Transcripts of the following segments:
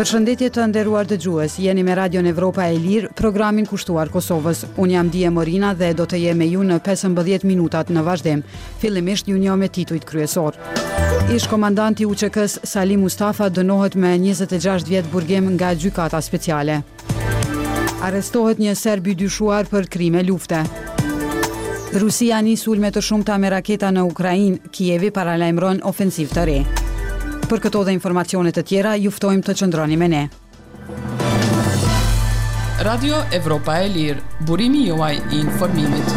Përshëndetje të nderuar dëgjues, jeni me Radion Evropa e Lirë, programin kushtuar Kosovës. Unë jam Dije Morina dhe do të jem me ju në 15 minutat në vazhdim. Fillimisht ju njoh me titujt kryesorë. Ish-komandanti i UÇK-së, Salih Mustafa dënohet me 26 vjet burgim nga Gjykata Speciale. Arrestohet një serb i dyshuar për krime lufte. Rusia nis sulme të shumta me raketa në Ukrainë, Kievi paralajmëron ofensivë të re. Për këto dhe informacione të tjera, ju ftojmë të qëndroni me ne. Radio Evropa e Lirë, burimi juaj i informimit.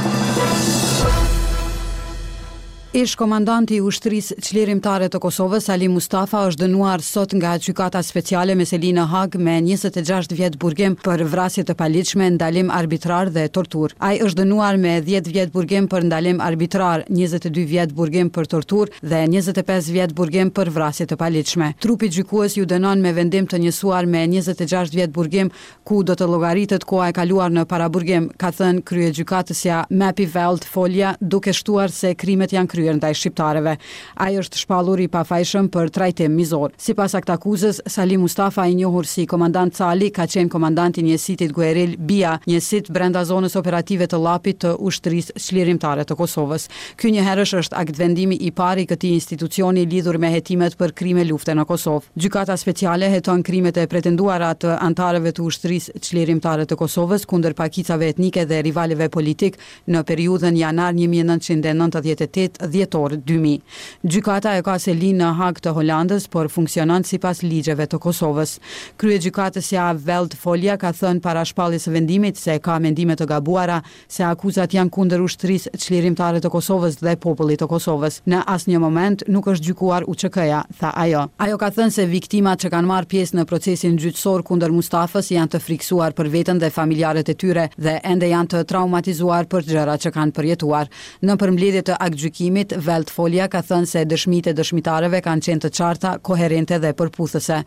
Ish-komandanti i Ushtrisë Çlirimtare të Kosovës, Salih Mustafa është dënuar sot nga Gjykata Speciale me seli në Hagë me 26 vjet burgim për vrasje të paligjshme, ndalim arbitrar dhe torturë. Ai është dënuar me 10 vjet burgim për ndalim arbitrar, 22 vjet burgim për torturë dhe 25 vjet burgim për vrasje të paligjshme. Trupi gjykues ju dënon me vendim të njësuar me 26 vjet burgim ku do të llogaritet koha e kaluar në paraburgim, ka thënë kryegjykatësja Mapy Veld Pholia, duke shtuar se krimet janë kryer ndaj shqiptarëve. Ai është shpallur i pafajshëm për trajtim mizor. Sipas aktakuzës, Salih Mustafa, i njohur si Komandant Cali, ka qenë komandant i njësitit gueril BIA, njësit brenda zonës operative të Llapit të Ushtrisë Çlirimtare të Kosovës. Ky njëherësh është aktvendimi i parë i këtij institucioni lidhur me hetimet për krime lufte në Kosovë. Gjykata Speciale heton krimet e pretenduara të anëtarëve të Ushtrisë Çlirimtare të Kosovës kundër pakicave etnike dhe rivalëve politikë në periudhën janar 1998, dhjetor 2000. Gjykata e ka selinë në Hagë të Holandës, por funksionon sipas ligjeve të Kosovës. Kryegjykatësja Veld Pholia ka thënë para shpalljes së vendimit se ka mendime të gabuara se akuzat janë kundër Ushtrisë Çlirimtare të Kosovës dhe popullit të Kosovës. Në asnjë moment nuk është gjykuar UÇK-ja, tha ajo. Ajo ka thënë se viktimat që kanë marrë pjesë në procesin gjyqësor kundër Mustafës janë të frikësuar për veten dhe familjarët e tyre dhe ende janë të traumatizuar për gjërat që kanë përjetuar. Në përmbledhje të aktgjykimit, Veld Pholia ka thënë se dëshmitë e dëshmitarëve kanë qenë të qarta, koherente dhe përputhëse.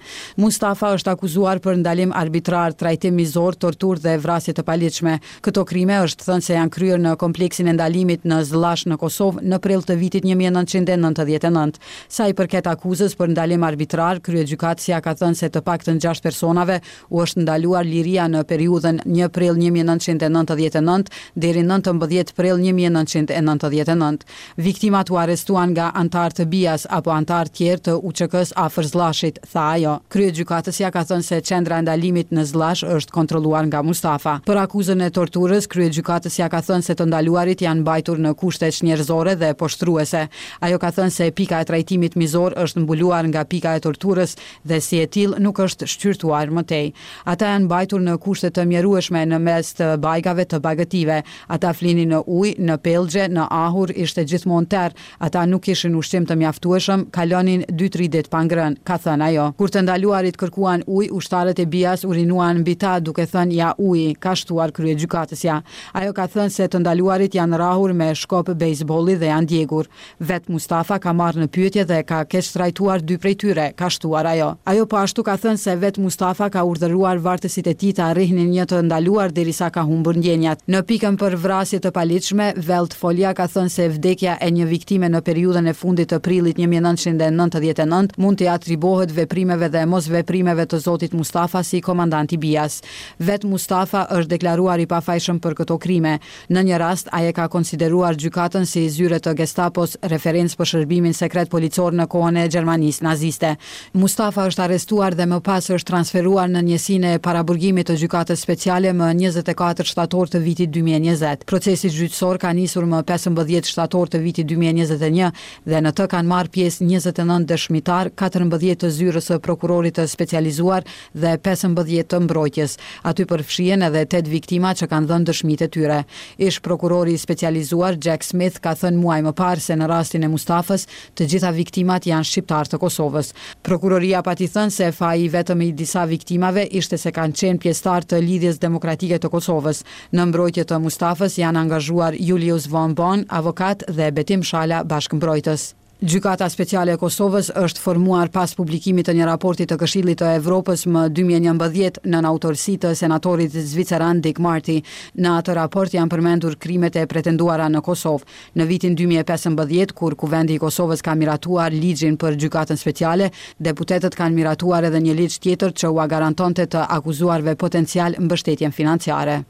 Mustafa është akuzuar për ndalim arbitrar, trajtim mizor, torturë dhe vrasje të paligjshme. Këto krime është thënë se janë kryer në kompleksin e ndalimit në Zllash në Kosovë në prill të vitit 1999. Sa i përket akuzës për ndalim arbitrar, kryegjykatësja ka thënë se të paktën 6 personave u është ndaluar liria në periudhën 1 prill 1999 deri 19 prill 1999. Viktimat u arrestuan nga anëtarë të BIA-s apo anëtarë tjerë të UÇK-së afër Zllashit, tha ajo. Kryegjykatësja ka thënë se qendra e ndalimit në Zllash është kontrolluar nga Mustafa. Për akuzën e torturës, kryegjykatësja ka thënë se të ndaluarit janë mbajtur në kushte çnjerëzore dhe poshtruese. Ajo ka thënë se pika e trajtimit mizor është mbuluar nga pika e torturës dhe si e tillë nuk është shqyrtuar më tej. Ata janë mbajtur në kushte të mjerueshme në mes të bajgave të bagëtive. Ata flinin në ujë, në pellgje, në ahur, ishte gjithmonë terr. Ata nuk kishin ushqim të mjaftueshëm, kalonin dy-tri ditë pa ngrënë, ka thënë ajo. Kur të ndaluarit kërkuan ujë, ushtarët e BIA-s urinuan mbi ta duke thënë ja uji, ka shtuar kryegjykatësja. Ajo ka thënë se të ndaluarit janë rrahur me shkop bejsbolli dhe janë djegur. Vetë Mustafa ka marrë në pyetje dhe ka keqtrajtuar dy prej tyre, ka shtuar ajo. Ajo po ashtu ka thënë se vetë Mustafa ka urdhëruar vartësit e tij ta rrihnin një të ndaluar derisa ka humbur ndjenjat. Në pikën për vrasje të paligjshme, Veld Pholia ka thënë se vdekja e një viktime në periudhën e fundit të prillit 1999 mund t'i atribuohet veprimeve dhe mosveprimeve të zotit Mustafa si komandant i BIA-s. Vetë Mustafa është deklaruar i pafajshëm për këto krime. Në një rast, ai e ka konsideruar gjykatën si zyre të Gestapos, referencë për shërbimin sekret policor në kohën e Gjermanisë naziste. Mustafa është arrestuar dhe më pas është transferuar në njësinë e paraburgimit të Gjykatës Speciale më 24 shtator të vitit 2020. Procesi gjyqësor ka nisur më 15 shtator të vitit 2021 dhe në të kanë marrë pjesë 29 dëshmitar, 14 të zyrës së prokurorit të specializuar dhe 15 të mbrojtjes. Aty përfshihen edhe 8 viktima që kanë dhënë dëshmitë e tyre. Ish prokurori i specializuar Jack Smith ka thënë muaj më parë se në rastin e Mustafës, të gjitha viktimat janë shqiptarë të Kosovës. Prokuroria pati thënë se faji i vetëm i disa viktimave ishte se kanë qenë pjesëtar të Lidhjes Demokratike të Kosovës. Në mbrojtje të Mustafës janë angazhuar Julius Von Bon, avokat dhe Betim Shala, bashkëmbrojtës. Gjykata Speciale e Kosovës është formuar pas publikimit të një raporti të Këshillit të Evropës më 2011 nën autorësi të senatorit zviceran Dick Marty. Në atë raport janë përmendur krimet e pretenduara në Kosovë. Në vitin 2015, kur Kuvendi i Kosovës ka miratuar ligjin për Gjykatën Speciale, deputetët kanë miratuar edhe një ligj tjetër që ua garantonte të akuzuarve potencial mbështetjen financiare.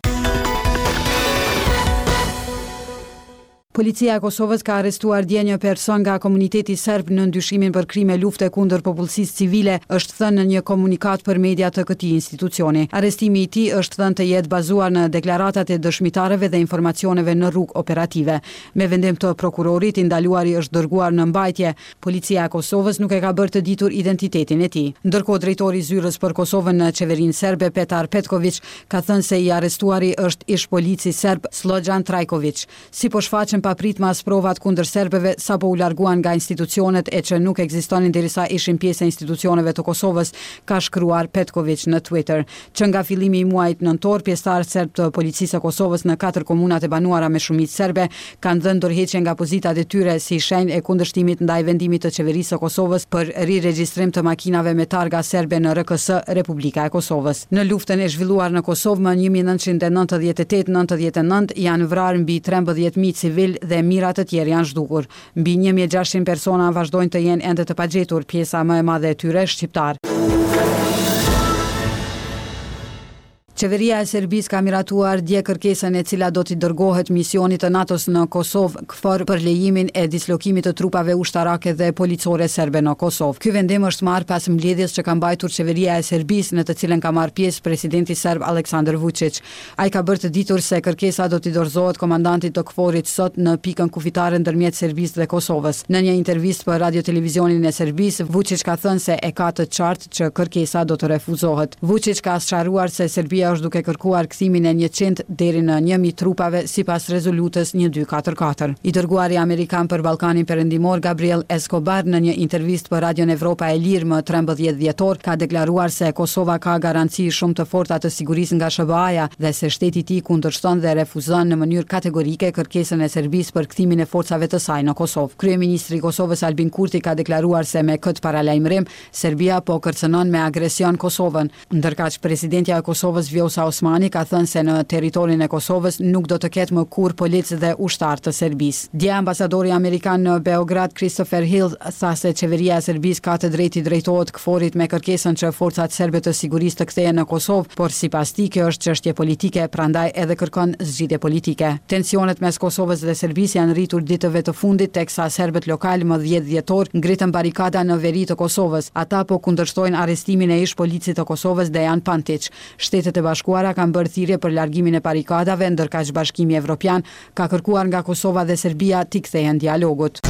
Policia e Kosovës ka arrestuar dje një person nga komuniteti serb nën dyshimin për krime lufte kundër popullsisë civile, është thënë në një komunikatë për media të këtij institucioni. Arrestimi i tij është thënë të jetë bazuar në deklaratat e dëshmitarëve dhe informacioneve në rrugë operative. Me vendim të prokurorit, i ndaluari është dërguar në mbajtje. Policia e Kosovës nuk e ka bërë të ditur identitetin e tij. Ndërkohë, drejtori i Zyrës për Kosovën në qeverinë serbe, Petar Petkoviq, ka thënë se i arrestuari është ish-polici serb Sllogjan Trajkoviq. Si po shfaqen papritmas provat kundër serbëve sapo u larguan nga institucionet e që nuk ekzistonin derisa ishin pjesë e institucioneve të Kosovës, ka shkruar Petkoviq në Twitter. Që nga fillimi i muajit nëntor, pjesëtarë serbë të Policisë së Kosovës në katër komunat e banuara me shumicë serbe kanë dhënë dorëheqje nga pozitat e tyre si shenjë e kundërshtimit ndaj vendimit të Qeverisë së Kosovës për riregjistrim të makinave me targa serbe në RKS, Republika e Kosovës. Në luftën e zhvilluar në Kosovë më 1998, 99 janë vrarë mbi 13.000 civilë dhe mijëra të tjerë janë zhdukur. Mbi 1600 persona vazhdojnë të jenë ende të pagjetur, pjesa më e madhe e tyre shqiptarë. Qeveria e Serbisë ka miratuar dje kërkesën e cila do t'i dërgohet misionit të NATO-s në Kosovë, KFOR, për lejimin e dislokimit të trupave ushtarake dhe policore serbe në Kosovë. Ky vendim është marrë pas mbledhjes që ka mbajtur Qeveria e Serbisë, në të cilën ka marrë pjesë presidenti serb Aleksandar Vuçiq. Ai ka bërë të ditur se kërkesa do t'i dorëzohet komandantit të KFOR-it sot në pikën kufitare ndërmjet Serbisë dhe Kosovës. Në një intervistë për Radio-Televizionin e Serbisë, Vuçiq ka thënë se e ka të qartë që kërkesa do të refuzohet. Vuçiq ka sqaruar se Serbia është duke kërkuar kthimin e 100 deri në 1000 trupave sipas rezolutës 1244. I dërguari amerikan për Ballkanin Perëndimor Gabriel Escobar në një intervistë për Radion Evropa e Lirë më 13 dhjetor ka deklaruar se Kosova ka garanci shumë të forta të sigurisë nga SHBA-ja dhe se shteti i tij kundërshton dhe refuzon në mënyrë kategorike kërkesën e Serbisë për kthimin e forcave të saj në Kosovë. Kryeministri i Kosovës Albin Kurti ka deklaruar se me këtë paralajmërim Serbia po kërcënon me agresion Kosovën, ndërkaq presidentja e Kosovës Vjosa Osmani ka thënë se në territorin e Kosovës nuk do të ketë më kurrë policë dhe ushtarë të Serbisë. Dje ambasadori amerikan në Beograd Christopher Hill tha se qeveria e Serbisë ka të drejtë t'i drejtohet KFOR-it me kërkesën që forcat serbe të sigurisë të kthehen në Kosovë, por sipas tij kjo është çështje politike, prandaj edhe kërkon zgjidhje politike. Tensionet mes Kosovës dhe Serbisë janë rritur ditëve të fundit teksa serbët lokalë më 10 dhjetor ngritën barikada në veri të Kosovës. Ata po kundërshtojnë arrestimin e ish-policit të Kosovës Dejan Pantiq. Shtetet e Bashkuara kanë bërë thirrje për largimin e barikadave, ndërkaq Bashkimi Evropian ka kërkuar nga Kosova dhe Serbia t'i kthehen dialogut.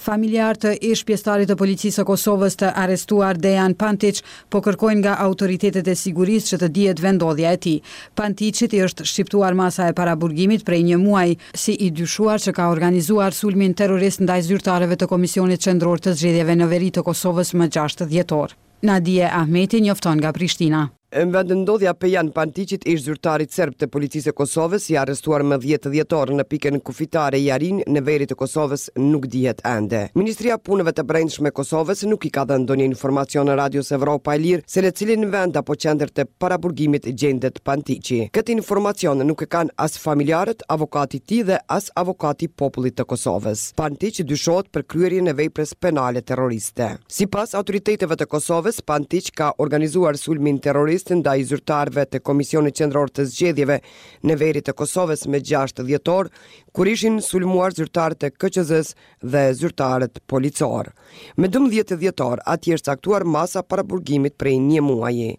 Familjarë të ish pjesëtarit të policisë së Kosovës të arrestuar Dejan Pantiq po kërkojnë nga autoritetet e sigurisë që të dihet vendndodhja e tij. Pantiqit i është shqiptuar masa e paraburgimit prej një muaji, si i dyshuar që ka organizuar sulmin terrorist ndaj zyrtarëve të Komisionit Qendror të Zgjedhjeve në veri të Kosovës më 6 dhjetor. Nadie Ahmeti njofton nga Prishtina. Vendndodhja e Dejan Pantiqit, ish zyrtarit serb të policisë së Kosovës, i arrestuar më 10 dhjetor në pikën kufitare Jarinjë në veri të Kosovës, nuk dihet ende. Ministria e Punëve të Brendshme e Kosovës nuk i ka dhënë ndonjë informacion Radios Evropa e Lirë se në cilin vend apo qendër të paraburgimit gjendet Pantiqi. Këtë informacion nuk e kanë as familjarët, avokati i tij dhe as avokati i popullit të Kosovës. Pantiq dyshohet për kryerjen e veprës penale terroriste. Sipas autoriteteve të Kosovës, Pantiq ka organizuar sulmin terrorist ndaj zyrtarëve të Komisionit Qendror të Zgjedhjeve në veri të Kosovës më 6 dhjetor, kur ishin sulmuar zyrtarët e KQZ-së dhe zyrtarët policorë. Më 12 dhjetor, atij është caktuar masa paraburgimit prej një muaji.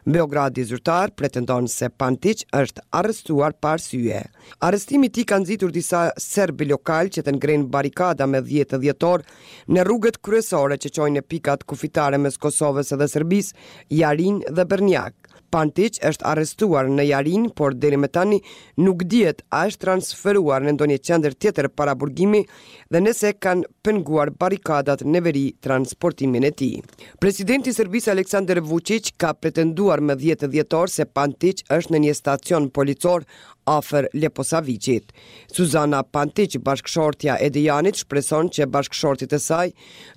Beogradi zyrtar pretendon se Pantiq është arrestuar pa arsye. Arrestimi i tij ka nxitur disa serbë lokalë që të ngrenë barikada më 10 dhjetor Në rrugët kryesore që çojnë në pikat kufitare mes Kosovës dhe Serbisë, Jarinjë dhe Bërnjak. Pantiq është arrestuar në Jarinjë, por deri më tani nuk dihet a është transferuar në ndonjë qendër tjetër paraburgimi dhe nëse kanë penguar barrikadat në veri transportimin e tij. Presidenti i Serbisë Aleksandar Vuçiq ka pretenduar më 10 dhjetor se Pantiq është në një stacion policor afër Leposaviqit. Suzana Pantiq, bashkëshortja e Dejanit, shpreson që bashkëshortit të saj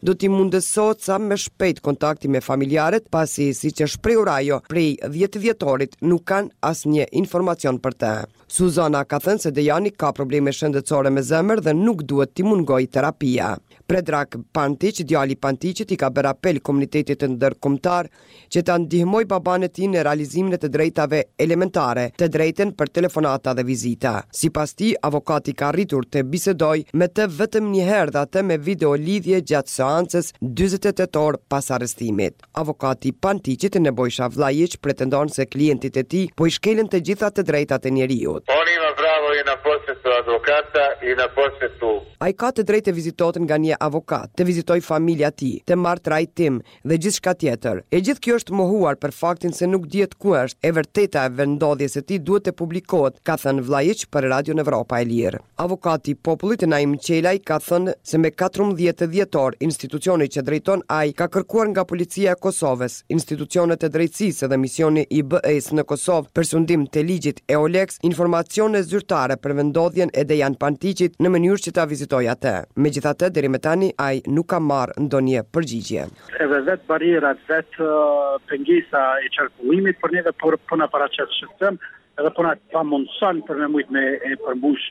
do t'i mundësohet sa më shpejt kontakti me familjarët, pasi, siç është shprehur ajo, prej 10 dhjetorit nuk kanë asnjë informacion për të. Suzana ka thënë se Dejani ka probleme shëndetësore me zemër dhe nuk duhet t'i mungojë terapia. Predrag Pantiq, djali i Pantiqit, i ka bërë apel komunitetit ndërkombëtar që ta ndihmojë babanë e tij në realizimin e të drejtave elementare, të drejtën për telefonata dhe vizita. Sipas tij, avokati ka arritur të bisedojë me të vetëm një herë dhe atë me video-lidhje gjatë seancës 48 orë pas arrestimit. Avokati i Pantiqit, Nebojsha Vllajiq, pretendon se klientit të tij po i shkelen të gjitha të drejtat e njeriut. On ima pravo i na posetu advokata i na posetu. Ai ka të drejtë të vizitohet nga një avokat, të vizitojë familja e tij, të marrë trajtim, dhe gjithçka tjetër. E gjithë kjo është mohuar për faktin se nuk dihet ku është, e vërteta e vendndodhjes së tij duhet të publikohet, ka thënë Vllajiq për Radion Evropa e Lirë. Avokati i Popullit, Naim Qelaj, ka thënë se me 14 dhjetor institucioni që drejton ai ka kërkuar nga Policia e Kosovës, institucionet e drejtësisë dhe misioni i BE-së në Kosovë për sundim të ligjit EULEX informacione zyrtare për vendndodhjen e Dejan Pantiqit në mënyrë që ta vizitojë atë. Megjithatë, deri më tani ai nuk ka marrë ndonjë përgjigje. Edhe vetë barrierat, vetë pengesa e qarkullimit për neve por po na paraqet shqetësim edhe po na pamundëson për me mujt me e përmbush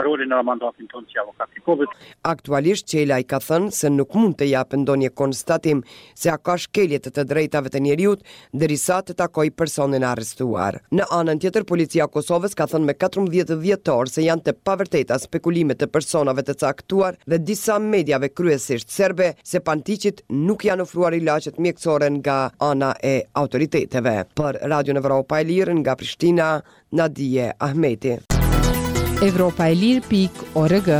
rolin edhe mandatin tonë si avokat i popullit. Aktualisht Qelaj ka thënë se nuk mund të japë ndonjë konstatim se a ka shkelje të të drejtave të njeriut derisa të takojë personin e arrestuar. Në anën tjetër, Policia e Kosovës ka thënë me 14 dhjetor se janë të pavërteta spekulimet të personave të caktuar dhe disa mediave kryesisht serbe se Pantiqit nuk janë ofruar ilaçet mjekësore nga ana e autoriteteve. Për Radion Evropa e Lirë nga Prishtina, Nadije Ahmeti. Evropa e Lirë pikë org.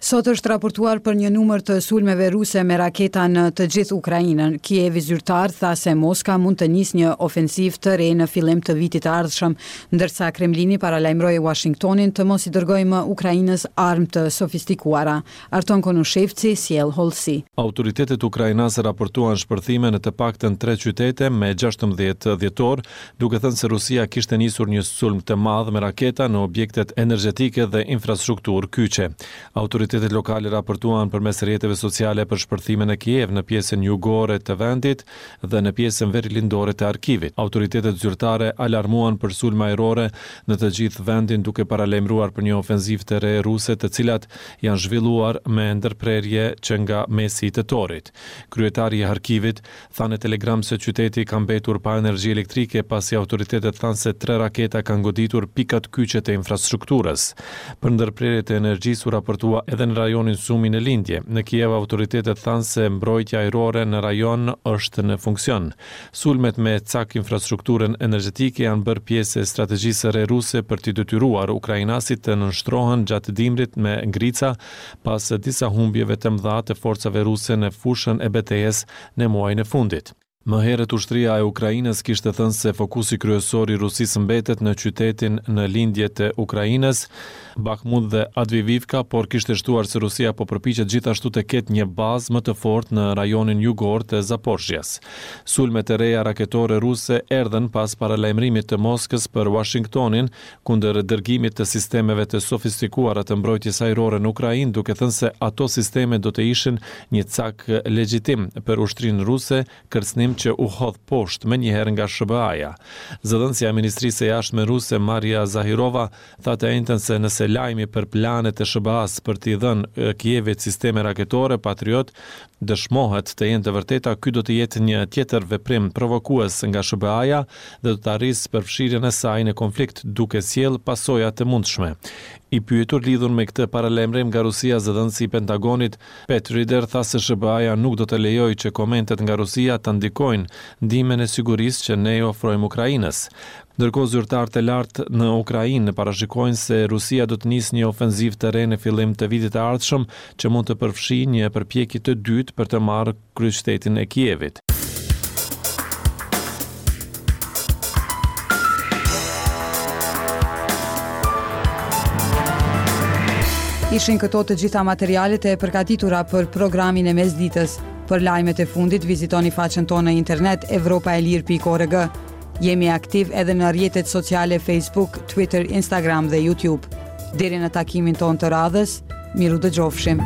Sot është raportuar për një numër të sulmeve ruse me raketa në të gjithë Ukrainën. Kievi zyrtar tha se Moska mund të nisë një ofensivë të re në fillim të vitit të ardhshëm, ndërsa Kremlini paralajmëroi Uashingtonin të mos i dërgojë më Ukrainës armë të sofistikuara. Arton Konushevci sjell hollësi. Autoritetet ukrainase raportuan shpërthime në të paktën tre qytete me 16 dhjetor, duke thënë se Rusia kishte nisur një sulm të madh me raketa në objektet energjetike dhe infrastrukturë kyçe. Autoritetet lokale raportuan përmes rrjeteve sociale për shpërthime në Kiev, në pjesën jugore të vendit dhe në pjesën verilindore të Harkivit. Autoritetet zyrtare alarmuan për sulme ajrore në të gjithë vendin duke paralajmëruar për një ofenzivë të re ruse të cilat janë zhvilluar me ndërprerje që nga mesi i tetorit. Kryetari i Harkivit tha në Telegram se qyteti ka mbetur pa energji elektrike pasi autoritetet thanë se tre raketa kanë goditur pikat kyçe të infrastrukturës. Për ndërprerje të energjisë u raportua edhe në rajonin Sumi në lindje. Në Kiev autoritetet thanë se mbrojtja ajrore në rajon është në funksion. Sulmet me cak infrastrukturën energjetike janë bërë pjesë e strategjisë së re ruse për t'i detyruar ukrainasit të nënshtrohen gjatë dimrit me ngrica pas disa humbjeve të mëdha të forcave ruse në fushën e betejës në muajin e fundit. Më herët ushtria e Ukrainës kishte thënë se fokusi kryesor i Rusisë mbetet në qytetin në lindje të Ukrainës, Bakhmut dhe Avdiivka, por kishte shtuar se Rusia po përpiqet gjithashtu të ketë një bazë më të fortë në rajonin jugor të Zaporizhzhias. Sulmet e reja raketore ruse erdhën pas paralajmërimit të Moskës për Uashingtonin kundër dërgimit të sistemeve të sofistikuara të mbrojtjes ajrore në Ukrainë, duke thënë se ato sisteme do të ishin një cak legjitim për ushtrinë ruse, kërcënim që u hodh poshtë menjëherë nga SHBA-ja. Zëdhënësja e Ministrisë së Jashtme ruse, Maria Zahirova, tha të enjten se nëse lajmi për planet e SHBA-së për t'i dhënë Kievit sisteme raketore Patriot dëshmohet të jenë të vërteta, ky do të jetë një tjetër veprim provokues nga SHBA-ja dhe do ta rrisë përfshirjen e saj në konflikt duke sjellë pasoja të mundshme. I pyetur lidhur me këtë paralajmërim nga Rusia, zëdhënësi i Pentagonit, Pat Ryder tha se SHBA-ja nuk do të lejojë që komentet nga Rusia të ndikojnë ndihmën e sigurisë që ne i ofrojmë Ukrainës. Ndërkohë zyrtarë të lartë në Ukrainë parashikojnë se Rusia do të nisë një ofenzivë të re në fillim të vitit të ardhshëm që mund të përfshijë një përpjekje të dytë për të marrë kryeqytetin e Kievit. Ishin këto të gjitha materialet e përgatitura për programin e mesditës. Për lajmet e fundit vizitoni faqen tonë në internet evropaelire.org. Jemi aktiv edhe në rrjetet sociale Facebook, Twitter, Instagram dhe YouTube. Deri në takimin tonë të radhës, mirudëgjofshim.